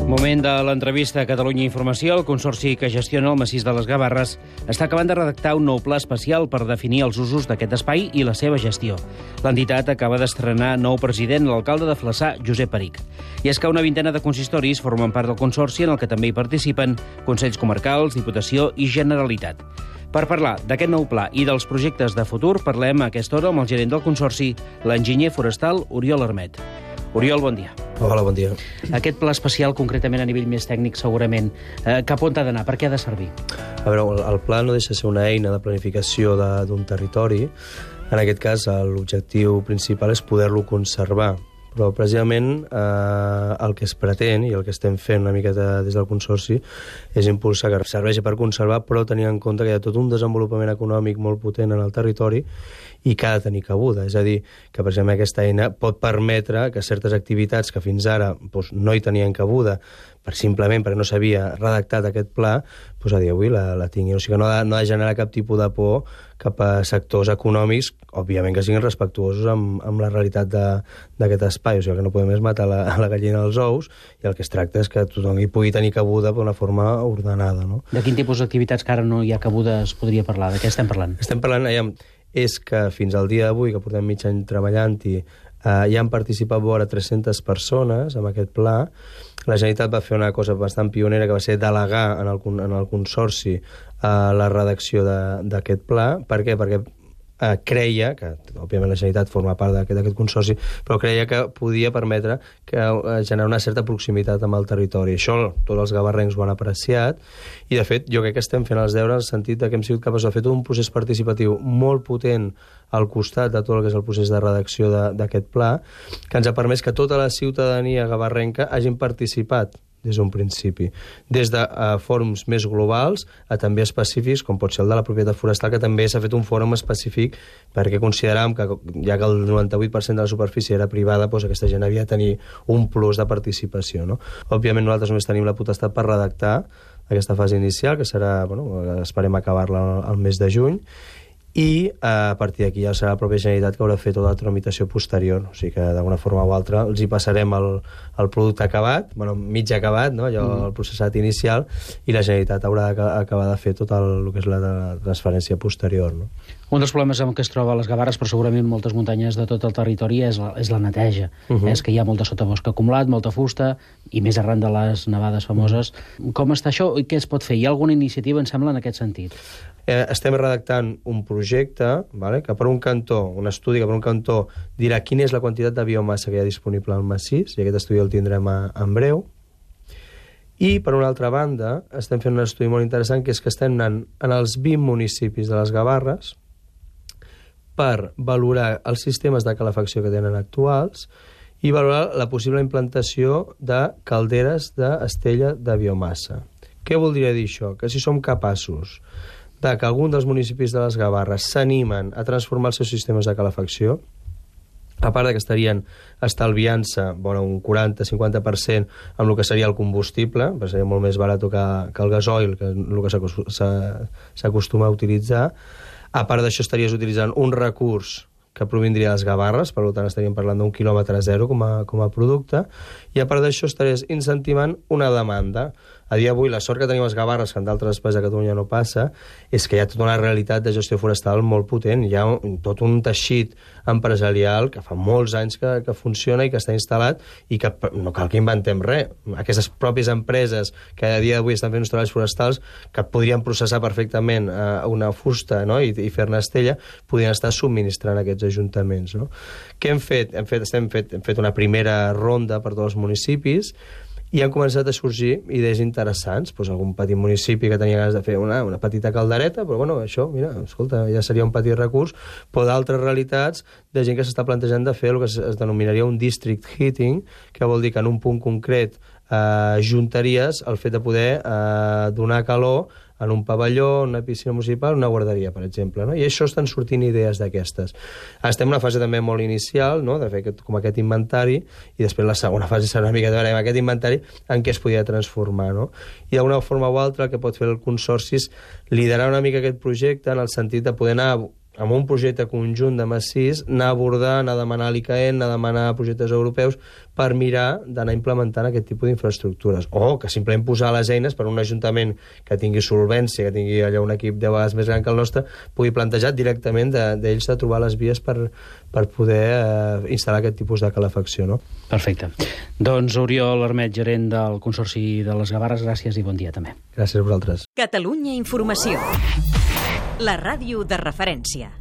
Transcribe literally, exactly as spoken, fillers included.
Moment de l'entrevista a Catalunya Informació. El consorci que gestiona el massís de les Gavarres està acabant de redactar un nou pla especial per definir els usos d'aquest espai i la seva gestió. L'entitat acaba d'estrenar nou president, l'alcalde de Flaçà, Josep Perich. I és que una vintena de consistoris formen part del consorci, en el que també hi participen Consells Comarcals, Diputació i Generalitat. Per parlar d'aquest nou pla i dels projectes de futur, parlem a aquesta hora amb el gerent del consorci, l'enginyer forestal Oriol Armet. Oriol, bon dia. Hola, bon dia. Aquest pla especial, concretament a nivell més tècnic, segurament, eh, cap on ha d'anar? Per què ha de servir? A veure, el pla no deixa de ser una eina de planificació d'un territori. En aquest cas, l'objectiu principal és poder-lo conservar. Però, precisament, eh, el que es pretén, i el que estem fent una miqueta des del consorci, és impulsar que serveixi per conservar, però tenint en compte que hi ha tot un desenvolupament econòmic molt potent en el territori i que ha de tenir cabuda. És a dir, que precisament aquesta eina pot permetre que certes activitats que fins ara doncs, no hi tenien cabuda, per simplement perquè no s'havia redactat aquest pla, doncs a dia d'avui la, la tinguin. O sigui que no ha, no ha de generar cap tipus de por cap a sectors econòmics, òbviament que siguin respectuosos amb, amb la realitat d'aquest espai. O sigui que no podem és matar la, la gallina dels ous, i el que es tracta és que tothom hi pugui tenir cabuda d'una forma ordenada. No? De quin tipus d'activitats que ara no hi ha cabuda es podria parlar? De què estem parlant? Estem parlant, aviam, és que fins al dia d'avui, que portem mig any treballant-hi, eh, ja han participat vora tres-centes persones en aquest pla. La Generalitat va fer una cosa bastant pionera, que va ser delegar en el, en el consorci eh, la redacció d'aquest pla. Per què? Perquè eh, creia, que òbviament la Generalitat forma part d'aquest consorci, però creia que podia permetre que eh, generar una certa proximitat amb el territori. Això tots els gavarrencs ho han apreciat, i de fet jo crec que estem fent els deures en el sentit que hem sigut capaços de fer tot un procés participatiu molt potent al costat de tot el que és el procés de redacció d'aquest pla, que ens ha permès que tota la ciutadania gavarrenca hagin participat des d'un principi, des de uh, fòrums més globals a també específics, com pot ser el de la propietat forestal, que també s'ha fet un fòrum específic perquè consideràvem que, ja que el noranta-vuit per cent de la superfície era privada, doncs aquesta gent havia de tenir un plus de participació. No? Òbviament nosaltres només tenim la potestat per redactar aquesta fase inicial, que serà, bueno, esperem acabar-la al mes de juny, i a partir d'aquí ja serà la pròpia Generalitat que haurà de fer tota la tramitació posterior. O sigui que d'alguna forma o altra els hi passarem el, el producte acabat, bueno, mig acabat, no? Allò, mm. el processat inicial, i la Generalitat haurà d'acabar de fer tot el, el que és la, la transferència posterior. No? Un dels problemes amb què es troba a les Gavarres, però segurament moltes muntanyes de tot el territori, és la, és la neteja. Uh -huh. És que hi ha molta sotabosc acumulat, molta fusta, i més arran de les nevades famoses. Uh -huh. Com està això i què es pot fer? Hi ha alguna iniciativa, em sembla, en aquest sentit? Eh, estem redactant un projecte, vale, que per un cantó, un estudi que per un cantó dirà quina és la quantitat de biomassa que hi ha disponible al massís, i aquest estudi el tindrem a, en breu. I, per una altra banda, estem fent un estudi molt interessant, que és que estem anant en els vint municipis de les Gavarres per valorar els sistemes de calefacció que tenen actuals i valorar la possible implantació de calderes d'estella de biomassa. Què voldria dir això? Que si som capaços de que algun dels municipis de les Gavarres s'animen a transformar els seus sistemes de calefacció, a part de que estarien estalviant-se bueno, un quaranta a cinquanta per cent amb el que seria el combustible, perquè seria molt més barat que, que el gasoil, que és el que s'acostuma a utilitzar. A part d'això estaries utilitzant un recurs que provindria de les Gavarres, per tant estaríem parlant d'un quilòmetre zero com a, com a producte, i a part d'això estaries incentivant una demanda. A dia d'avui, la sort que tenim les Gavarres, que en d'altres espais de Catalunya no passa, és que hi ha tota una realitat de gestió forestal molt potent. Hi ha un, tot un teixit empresarial que fa molts anys que, que funciona i que està instal·lat, i que no cal que inventem res. Aquestes pròpies empreses que a dia d'avui estan fent uns treballs forestals que podrien processar perfectament eh, una fusta, no? I, i fer-ne estella, podrien estar subministrant aquests ajuntaments. No? Què hem fet? Hem fet, estem fet? Hem fet una primera ronda per tots els municipis, i han començat a sorgir idees interessants. Pues algun petit municipi que tenia ganes de fer una, una petita caldereta, però bueno, això, mira, escolta, ja seria un petit recurs, però d'altres realitats de gent que s'està plantejant de fer el que es, es denominaria un district heating, que vol dir que en un punt concret eh, juntaries el fet de poder eh, donar calor en un pavelló, una piscina municipal, una guarderia, per exemple. No? I això estan sortint idees d'aquestes. Estem en una fase també molt inicial, no? De fer aquest, com aquest inventari, i després la segona fase serà una mica de veure aquest inventari en què es podia transformar. No? I d'una forma o altra el que pot fer el consorci és liderar una mica aquest projecte en el sentit de poder anar amb un projecte conjunt de massís, anar a abordar, anar a demanar a l'I C A E N, anar a demanar projectes europeus per mirar d'anar implementant aquest tipus d'infraestructures. O que simplement posar les eines per un ajuntament que tingui solvència, que tingui allà un equip de vegades més gran que el nostre, pugui plantejar directament d'ells de, de trobar les vies per, per poder eh, instal·lar aquest tipus de calefacció. No? Perfecte. Doncs Oriol Armet, gerent del Consorci de les Gavarres, gràcies i bon dia també. Gràcies a vosaltres. Catalunya Informació. La ràdio de referència.